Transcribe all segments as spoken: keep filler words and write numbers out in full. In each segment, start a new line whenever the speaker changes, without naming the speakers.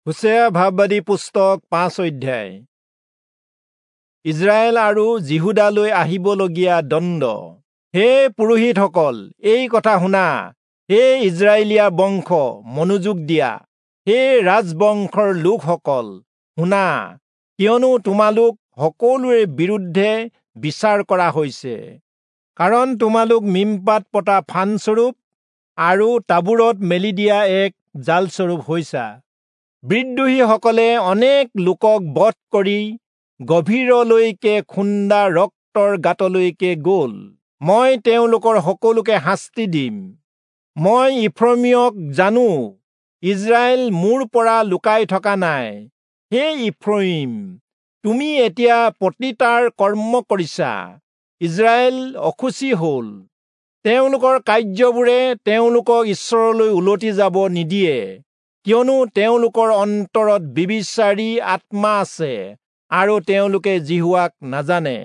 হোচেয়া ভাববাদী পুস্তক পাঁচ অধ্যায়। ইজৰাইল আৰু যিহূদালৈ আহিবলগীয়া দণ্ড। হে পুৰোহিতসকল, এই কথা শুনা। হে ইজৰাইলীয়া বংশ, মনোযোগ দিয়া। হে ৰাজবংশৰ লোকসকল, শুনা, কিয়নো তোমালোক সকলোৰে বিৰুদ্ধে বিচাৰ কৰা হৈছে। কাৰণ তোমালোক মিম্পাত পতা ফান্দস্বৰূপ আৰু তাবোৰত মেলি দিয়া এক জালস্বৰূপ হৈছা। বিদ্ৰোহীসকলে অনেক লোকক বধ কৰি গভীৰলৈকে খুন্দা ৰক্তৰ গাঁতলৈকে গ'ল। মই তেওঁলোকৰ সকলোকে শাস্তি দিম। মই ইফ্ৰয়িমক জানো, ইজৰাইল মোৰ পৰা লুকাই থকা নাই। হে ইফ্ৰয়িম, তুমি এতিয়া পতিতাৰ কৰ্ম কৰিছা, ইজৰাইল অশুচি হ'ল। তেওঁলোকৰ কাৰ্যবোৰে তেওঁলোকক ঈশ্বৰলৈ উলটি যাব নিদিয়ে, কিয়নো তেওঁলোকৰ অন্তৰত ব্যভিচাৰী আত্মা আছে আৰু তেওঁলোকে যিহোৱাক নাজানে।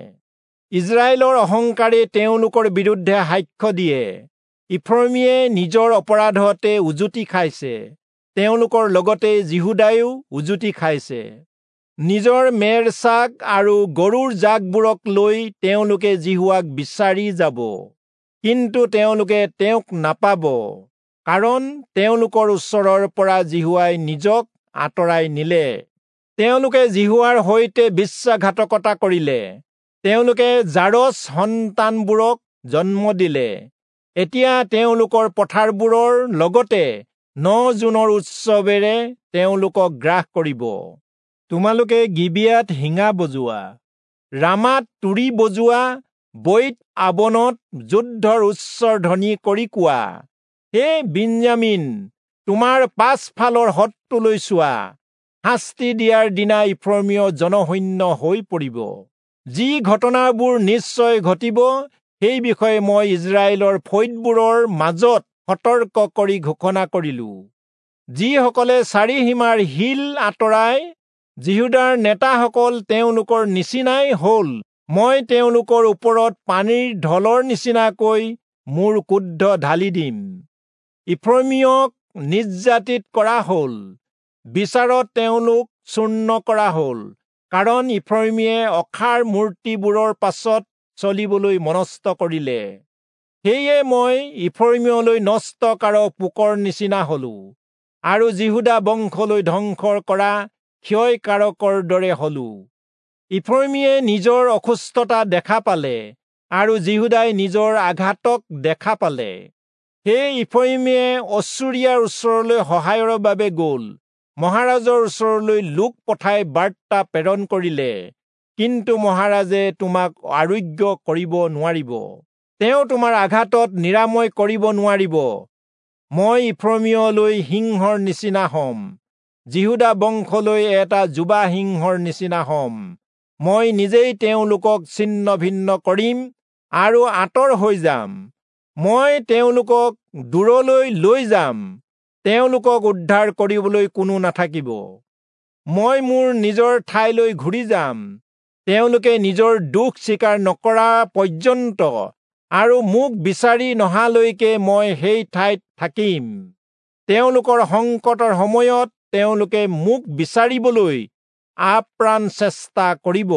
ইজৰাইলৰ অহংকাৰে তেওঁলোকৰ বিৰুদ্ধে সাক্ষ্য দিয়ে। ইফ্ৰয়িমে নিজৰ অপৰাধতে উজুতি খাইছে, তেওঁলোকৰ লগতে যিহূদায়ো উজুতি খাইছে। নিজৰ মেৰ ছাগ আৰু গৰুৰ জাকবোৰক লৈ তেওঁলোকে যিহোৱাক বিচাৰি যাব, কিন্তু তেওঁলোকে তেওঁক নাপাব, কাৰণ তেওঁলোকৰ ওচৰৰ পৰা যিহোৱাই নিজক আঁতৰাই নিলে। তেওঁলোকে যিহোৱাৰ সৈতে বিশ্বাসঘাতকতা কৰিলে। তেওঁলোকে জাৰজ সন্তানবোৰক জন্ম দিলে। এতিয়া তেওঁলোকৰ পথাৰবোৰৰ লগতে ন জোনৰ উৎসৱেৰে তেওঁলোকক গ্ৰাস কৰিব। তোমালোকে গিবিয়াত শিঙা বজোৱা, ৰামাত তুৰী বজোৱা, বৈৎ আবনত যুদ্ধৰ উচ্চ ধ্বনি কৰি কোৱা, হে বিন্যামীন, তোমাৰ পাছফালৰ শত্ৰুলৈ চোৱা। শাস্তি দিয়াৰ দিনা ইফ্ৰয়িমীয় জনশূন্য হৈ পৰিব। যি ঘটনাবোৰ নিশ্চয় ঘটিব, সেই বিষয়ে মই ইজৰাইলৰ ফৈদবোৰৰ মাজত সতৰ্ক কৰি ঘোষণা কৰিলো। যিসকলে চাৰিসীমাৰ শিল আঁতৰাই, যিহূদাৰ নেতাসকল তেওঁলোকৰ নিচিনাই হ'ল। মই তেওঁলোকৰ ওপৰত পানীৰ ঢলৰ নিচিনাকৈ মোৰ ক্ৰোধ ঢালি দিম। ইফ্ৰয়িমীয়ক নিৰ্যাতিত কৰা হ'ল, বিচাৰত তেওঁলোক চূৰ্ণ কৰা হ'ল, কাৰণ ইফ্ৰয়িমীয়ে অসাৰ মূৰ্তিবোৰৰ পাছত চলিবলৈ মনস্থ কৰিলে। সেয়ে মই ইফ্ৰয়িমলৈ নষ্টকাৰক পোকৰ নিচিনা হলো, আৰু যিহূদা বংশলৈ ধ্বংস কৰা ক্ষয়কাৰকৰ দৰে হলো। ইফ্ৰয়িমীয়ে নিজৰ অসুস্থতা দেখা পালে, আৰু যিহূদাই নিজৰ আঘাতক দেখা পালে। সেই ইফ্ৰয়িমীয়ে অচুৰীয়াৰ ওচৰলৈ সহায়ৰ বাবে গ'ল, মহাৰাজৰ ওচৰলৈ লোক পঠাই বাৰ্তা প্ৰেৰণ কৰিলে, কিন্তু মহাৰাজে তোমাক আৰোগ্য কৰিব নোৱাৰিব, তেওঁ তোমাৰ আঘাতত নিৰাময় কৰিব নোৱাৰিব। মই ইফ্ৰয়িমলৈ সিংহৰ নিচিনা হ'ম, যিহূদা বংশলৈ এটা যুৱা সিংহৰ নিচিনা হ'ম। মই নিজেই তেওঁলোকক ছিন্ন ভিন্ন কৰিম আৰু আঁতৰ হৈ যাম। মই তেওঁলোকক দূৰলৈ লৈ যাম, তেওঁলোকক উদ্ধাৰ কৰিবলৈ কোনো নাথাকিব। মই মোৰ নিজৰ ঠাইলৈ ঘূৰি যাম, তেওঁলোকে নিজৰ দোষ স্বীকাৰ নকৰা পৰ্যন্ত আৰু মোক বিচাৰি নহালৈকে মই সেই ঠাইত থাকিম। তেওঁলোকৰ সংকটৰ সময়ত তেওঁলোকে মোক বিচাৰিবলৈ আপ্ৰাণ চেষ্টা কৰিব।